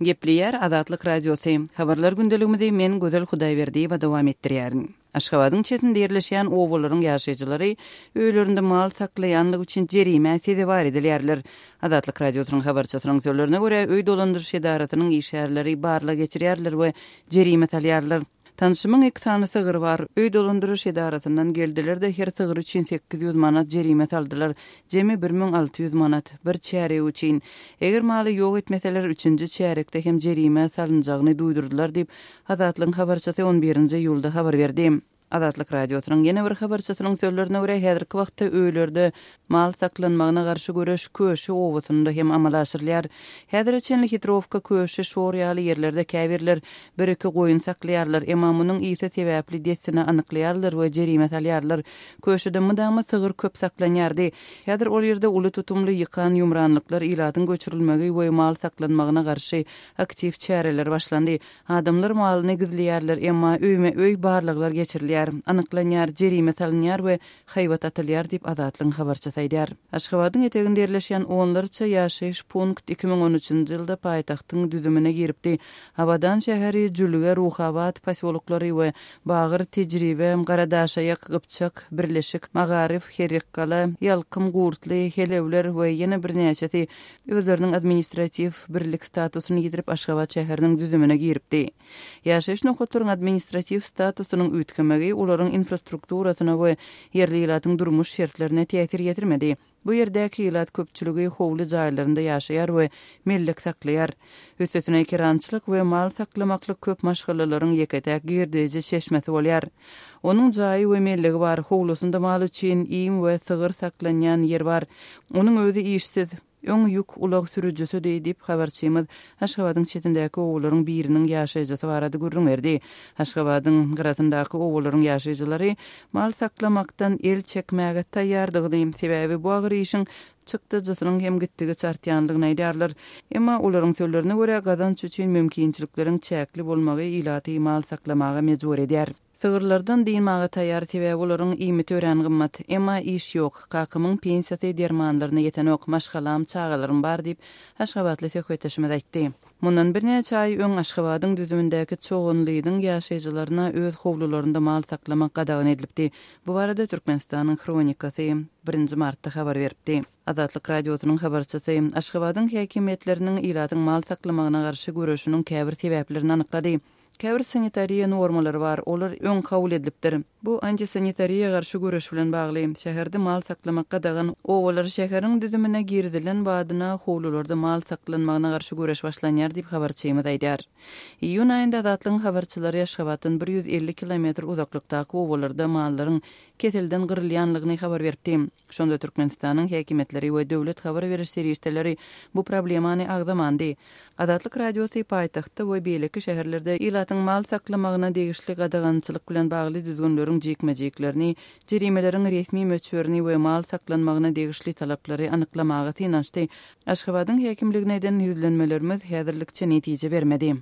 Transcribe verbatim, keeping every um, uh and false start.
Gepleýär Azatlyk Radiosy. Habarlar gündeligimizi men Gözel Hudaýberdiýewa dowam etdirýärin. Aşgabadyň çetinde ýerleşýän obalaryň ýaşaýjylary öýlerinde mal saklaýanlygy üçin jerimä sezewar edilýärler. Azatlyk Radiosynyň habarçysynyň sözlerine görä, öý dolandyryş edarasynyň işgärleri barlag geçirýärler we jerime salýarlar. Tanşymyň iki sany sygry bar. Öý dolandyryş edarasyndan geldiler-de her sygyr üçin sekiz ýüz manat jerime saldylar. Jemi bir müň alty ýüz manat bir çärýek üçin. Eger maly ýok etmeseler, üçünji çärýekde hem jerime salynjagyny duýdurdylar diýip, Azatlygyň habarçysy on birinji iýulda habar berdi. Azatlyk Radiosynyň ýene bir habarçysynyň sözlerine görä, häzirki wagtda öýlerde mal saklanmagyna garşy göreş Köşi obasynda hem amala aşyrylýar. Häzire çenli Hitrowka, Köşi, Şor ýaly ýerlerde käbirler bir-iki goýun saklaýarlar, emma munuň ysy sebäpli dessine anyklaýarlar we jerime salýarlar. Köşide mydama sygyr köp saklanýardy. Häzir ol ýerde uly tutumly ýykan-ýumranlyklar, ilatyň göçürilmegi we mal saklanmagyna garşy aktiw çäreler başlandy. Adamlar malyny gizleýärler, emma öýme-öý barlaglar geçirilýär, anyklanýar, jerime salynýar we haýbat atylýar diýip, Azatlygyň habarçysy aýdýar. Aşgabadyň eteginde ýerleşýän onlarça ýaşaýyş punkt iki müň on üçünji ýylda paýtagtyň düzümine giripdi. Abadan şäheri, Jülge, Ruhabat posýoloklary we Bagyr, Tejribe, Garadaşaýak, Gypjak, Birleşik, Magaryf, Herrikgala, Ýalkym, Gurtly, Helewler we ýene birnäçesi özleriniň administratiw birlik statusyny ýitirip Aşgabat şäheriniň düzümine giripdi. Ýaşaýyş nokatlaryň administratiw statusynyň üýtgemegi olaryň infrastrukturasyna we ýerli ilatyň durmuş şertlerine täsir ýetirmedi. Bu ýerdäki ilat köpçüligi howly jaýlarynda ýaşaýar we mellek saklaýar. Üstesine ekerançylyk we mal saklamaklyk köp maşgalalaryň ýeke-täk girdeji çeşmesi bolýar. Onuň jaýy we mellegi bar, howlusynda mal üçin iým we sygyr saklanýan ýer bar. Onuň özi işsiz, öň ýük ulag sürüjisidi diýip, habarçymyz Aşgabadyň çetindäki obalaryň biriniň ýaşaýjysy barada gürrüň berdi. Aşgabadyň gyrasyndaky obalaryň ýaşaýjylary mal saklamakdan el çekmäge taýýardygyny, sebäbi bu agyr işiň çykdajysynyň hem gitdigiçe artýandygyny aýdýarlar. Emma olaryň sözlerine görä, gazanç üçin mümkinçilikleriň çäkli bolmagy ilaty mal saklamaga mejbur edýär. Sygyrlardan dynmaga taýýar, sebäbi olaryň iýmiti örän gymmat. Emma iş ýok. Kakamyň pensiýasy dermanlaryna ýetenok, maşgalam, çagalarym bar diýip, Aşgabatly söhbetdeşimiz aýtdy. Mundan birnäçe aý öň Aşgabadyň düzümindäki Çoganlynyň ýaşaýjylaryna öz howlularynda mal saklamak gadagan edilipdi. Bu barada Türkmenistanyň Hronikasy birinji martda habar beripdi. Azatlyk Radiosynyň habarçysy Aşgabadyň häkimiýetleriniň ilatyň mal saklamagyna garşy göreşiniň käbir sebäplerini anyklady. Käbir sanitariýa normalary bar, olar öň kabul edilipdir. Bu antisanitariýa garşy göreş bilen bagly. Şäherde mal saklamak gadagan, obalar şäheriň düzümine girizilen badyna howlularda mal saklanmagyna garşy göreş başlanýar diýip habarçymyz aýdýar. Iýun aýynda Azatlygyň habarçylary Aşgabatdan bir ýüz elli kilometr uzaklykdaky obalarda mallaryň keselden gyrylýanlygyny habar beripdi. Şonda Türkmenistanyň häkimiýetleri we döwlet habar beriş serişdeleri bu problemany agzamandy. Azatlyk Radiosy paýtagtda we beýleki şäherlerde ilatyň mal saklamagyna degişli gadagançylyk bilen bagly düzgünleriň jikme-jiklerini, jerimeleriň resmi möçberini we mal saklanmagyna degişli talaplary anyklamaga synanyşdy. Aşgabadyň häkimligine eden ýüzlenmelerimiz häzirlikçe netije bermedi.